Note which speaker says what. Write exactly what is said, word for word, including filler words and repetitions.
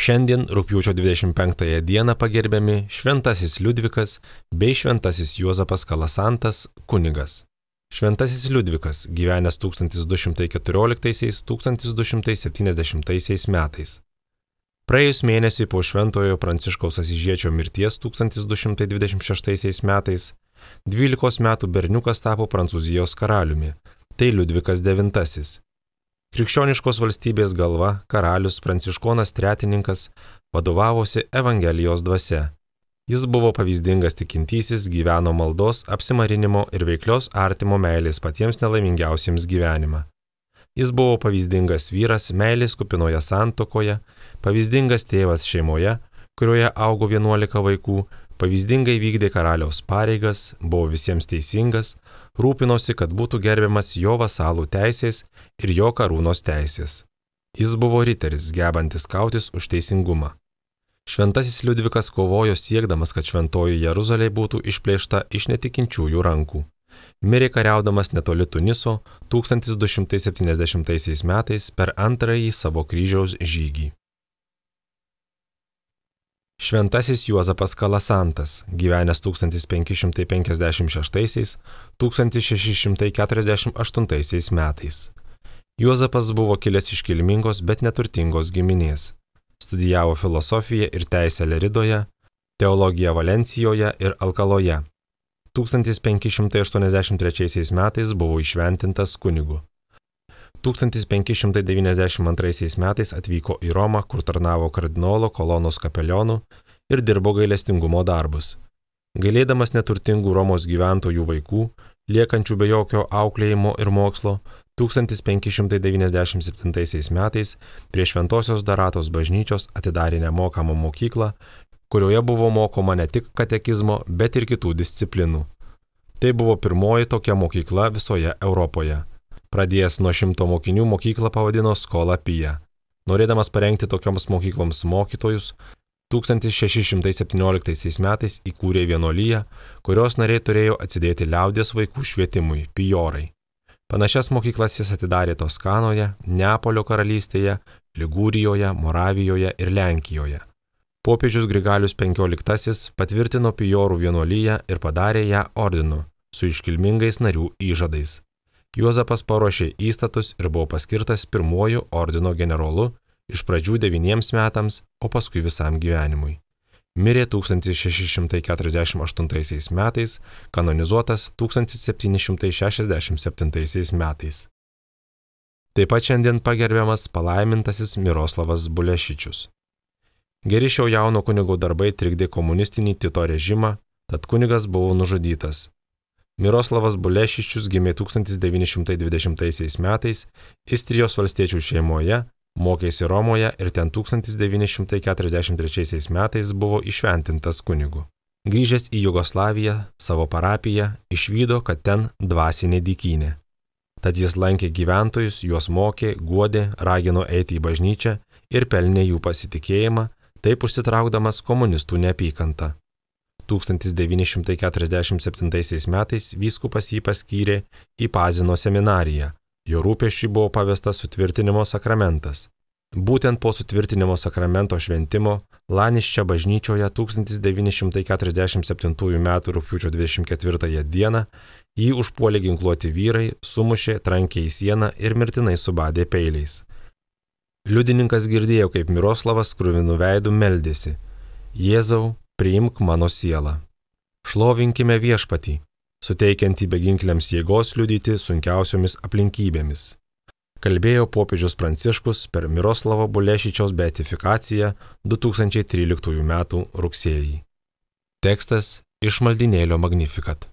Speaker 1: Šiandien rugpjūčio dvidešimt penktąją dieną pagerbiami Šventasis Liudvikas bei Šventasis Juozapas Kalasantas kunigas. Šventasis Liudvikas gyvenęs tūkstantis du šimtai keturioliktaisiais - tūkstantis du šimtai septyniasdešimtaisiais metais. Praėjus mėnesiui po Šventojo Pranciškaus Asyžiečio mirties tūkstantis du šimtai dvidešimt šeštaisiais metais dvylikos metų berniukas tapo Prancūzijos karaliumi, tai Liudvikas devintasis. Krikščioniškos valstybės galva, karalius Pranciškonas Tretininkas vadovavosi Evangelijos dvasia. Jis buvo pavyzdingas tikintysis, gyveno maldos, apsimarinimo ir veiklios artimo meilės patiems nelaimingiausiems gyvenimą. Jis buvo pavyzdingas vyras meilės kupinoje santuokoje, pavyzdingas tėvas šeimoje, kurioje augo vienuolika vaikų, pavyzdingai vykdė karaliaus pareigas, buvo visiems teisingas, rūpinosi, kad būtų gerbiamas jo vasalų teisės ir jo karūnos teisės. Jis buvo riteris, gebantis kautis už teisingumą. Šventasis Liudvikas kovojo siekdamas, kad šventoji Jeruzalė būtų išplėšta iš netikinčiųjų rankų. Mirė kariaudamas netoli Tuniso tūkstantis du šimtai septyniasdešimtaisiais metais per antrąjį savo kryžiaus žygį. Šventasis Juozapas Kalasantas, gyvenęs tūkstantis penki šimtai penkiasdešimt šeštaisiais - tūkstantis šeši šimtai keturiasdešimt aštuntaisiais metais. Juozapas buvo kilęs iš kilmingos, bet neturtingos giminės. Studijavo filosofiją ir teisę Leridoje, teologiją Valencijoje ir Alkaloje. tūkstantis penki šimtai aštuoniasdešimt trečiaisiais metais buvo įšventintas kunigu. tūkstantis penki šimtai devyniasdešimt antraisiais metais atvyko į Romą, kur tarnavo kardinolo Kolonos kapelionu ir dirbo gailestingumo darbus. Gailėdamas neturtingų Romos gyventojų vaikų, liekančių be jokio auklėjimo ir mokslo, tūkstantis penki šimtai devyniasdešimt septintaisiais metais prie Šventosios Daratos bažnyčios atidarė nemokamą mokyklą, kurioje buvo mokoma ne tik katekizmo, bet ir kitų disciplinų. Tai buvo pirmoji tokia mokykla visoje Europoje. Pradėjęs nuo šimto mokinių mokyklą pavadino Skola Pia. Norėdamas parengti tokioms mokykloms mokytojus, tūkstantis šeši šimtai septynioliktaisiais metais įkūrė vienuoliją, kurios nariai turėjo atsidėti liaudies vaikų švietimui – pijorai. Panašias mokyklas jis atidarė Toskanoje, Neapolio karalystėje, Ligūrijoje, Moravijoje ir Lenkijoje. Popiežius Grigalius penkioliktasis patvirtino pijorų vienuoliją ir padarė ją ordinu su iškilmingais narių įžadais. Juozapas paruošė įstatus ir buvo paskirtas pirmuoju ordino generolu iš pradžių devyniems metams, o paskui visam gyvenimui. Mirė tūkstantis šeši šimtai keturiasdešimt aštuntaisiais metais, kanonizuotas tūkstantis septyni šimtai šešiasdešimt septintaisiais metais. Taip pat šiandien pagerbiamas palaimintasis Miroslavas Bulešičius. Geri šio jauno kunigo darbai trikdė komunistinį Tito režimą, tad kunigas buvo nužudytas. Miroslavas Bulešičius gimė tūkstantis devyni šimtai dvidešimtaisiais metais Istrijos valstiečių šeimoje, mokėsi Romoje ir ten tūkstantis devyni šimtai keturiasdešimt trečiaisiais metais buvo įšventintas kunigu. Grįžęs į Jugoslaviją, savo parapiją, išvydo, kad ten dvasinė dykynė. Tad jis lankė gyventojus, juos mokė, guodė, ragino eiti į bažnyčią ir pelnė jų pasitikėjimą, taip užsitraukdamas komunistų neapykantą. tūkstantis devyni šimtai keturiasdešimt septintaisiais metais vyskupas jį paskyrė į Pazino seminariją. Jo rūpesčiui buvo pavestas sutvirtinimo sakramentas. Būtent po sutvirtinimo sakramento šventimo Laniščia bažnyčioje tūkstantis devyni šimtai keturiasdešimt septintųjų metų rugpjūčio dvidešimt ketvirtąją dieną jį užpuolė ginkluoti vyrai, sumušė, trankė į sieną ir mirtinai subadė peiliais. Liudininkas girdėjo, kaip Miroslavas kruvinu veidu meldėsi: Jėzau, priimk mano sielą. Šlovinkime Viešpatį, suteikiantį beginkliams jėgos liudyti sunkiausiomis aplinkybėmis. Kalbėjo popiežius Pranciškus per Miroslavo Bulešičiaus beatifikaciją du tūkstančiai tryliktųjų metų rugsėjį. Tekstas iš maldynėlio Magnificat.